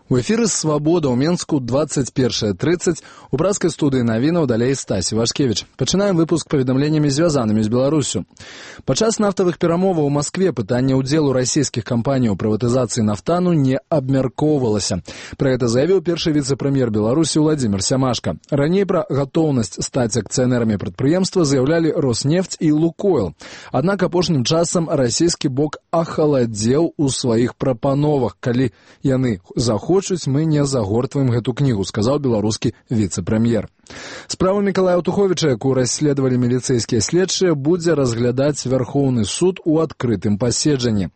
У эфіры «Свабода» ў Менску 21:30. У брацкай студыі навінаў далей Стасі Вашкевіч. Пачынаем выпуск паведамленнямі, звязанымі з Беларусю. Падчас нафтавых перамоваў у Маскве пытанне ўдзелу расійскіх кампаній у прыватызацыі нафтану не абмяркоўвалася. Пра гэта заявіў першы віцэ-прэм'ер Беларусі Владзімір Сямашка. Раней пра гатоўнасць стаць акцыянэрамі прадпрыемства заявлялі Роснефть і Лукойл. Аднак апошнім часам расійскі бок ахаладзеў у сваіх прапановах. Калі яны захочуць, мы не загортваем гэту кнігу, сказаў беларускі віцэ-прэм'ер. Справу Мікалая Туховіча, якую расследавалі міліцэйскія следчыя, будзе разглядаць Вярхоўны суд у адкрытым паседжанні.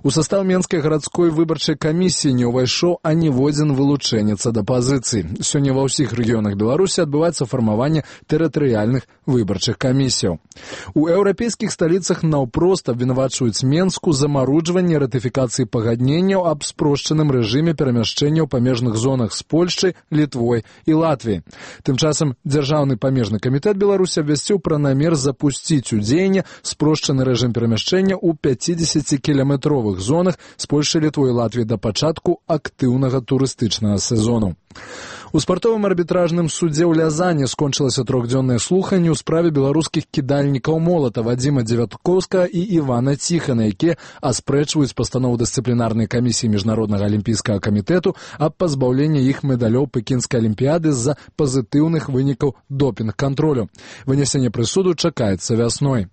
У састаў Менскай гарадской выбарчай камісіі не ўвайшоў аніводзін вылучэнец ад апазіцыі. Сёння ва ўсіх рэгіёнах Беларусі адбываецца фармаванне тэрытарыяльных выбарчых камісіяў. У еўрапейскіх сталіцах наўпрост абвінавачваюць Менску замаруджванне ратыфікацыі пагадненняў аб спрошчаным рэжыме перамяшчэння ў памежных зонах з Польшчай, Літвой і Латвіяй. Тым часам Дзяржаўны памежны камітэт Беларусі абвясціў пра намер запусціць у дзеянне спрошчаны рэжым перамяшчэння ў 50-кіламетровых зонах з Польшчай, Літвой і Латвіяй да пачатку актыўнага турыстычнага сезону. У спартовым арбітражным судзе ў Лязані скончылася трохдзённае слуханне ў справе беларускіх кідальнікаў молата Вадзіма Дзевяткоўскага і Івана Ціхана, якія аспрэчваюць пастанову дысцыплінарнай камісіі Міжнароднага алімпійскага камітэту аб пазбаўленні іх медалёў Пекінскай алімпіяды з-за пазітыўных вынікаў допінг-кантролю. Вынясенне прысуду чакаецца вясной.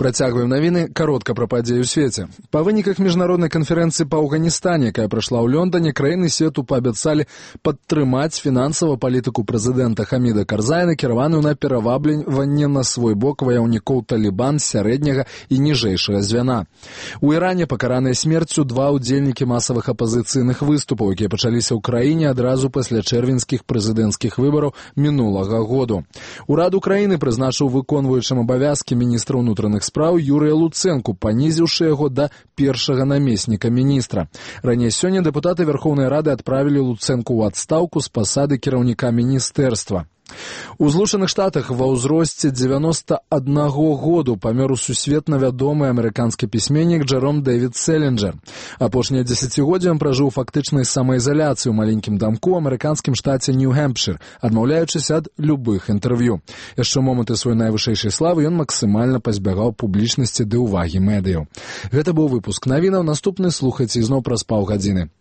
Працягваем навіны, каротка пра падзеі ў свеце. Па выніках міжнароднай канферэнцыі па Афганістане, якая прайшла ў Лондоне, краіны свету паабяцалі падтрымаць фінансава палітыку прэзідэнта Хаміда Карзая, накіраваную на перавабліванне на свой бок ваяўнікоў Талібан сярэдняга і ніжэйшага звяна. У Іране пакараныя смерцю два ўдзельнікі масавых апазіцыйных выступаў, якія пачаліся ў краіне адразу пасля чэрвеньскіх прэзідэнцкіх выбараў мінулага году. Урад Украіны прызначыў выконваючым абавязкі міністра ўнутраных справ Юрыя Луцэнку, панізіўшы яго да першага намесніка міністра. Раней сёння дэпутаты Верхоўнай Рады адправілі Луцэнку ў адстаўку з пасады кіраўніка міністэрства. У Злучаных Штатах ва ўзросце 91 году памёр сусветна вядомы амерыканскі пісьменнік Джэром Дэвід Селінджер. Апошняе дзесяцігоддзе ён пражыў фактычнай самаізаляцыі ў маленькім дамку ў амерыканскім штаце Нью-Гэмпшыр, адмаўляючыся ад любых інтэрв'ю. Яшчэ моманты сваёй найвышэйшай славы ён максімальна пазбягаў публічнасці ды ўвагі медыяў. Гэта быў выпуск навінаў. Наступны слухайце ізноў праз паўгадзіны.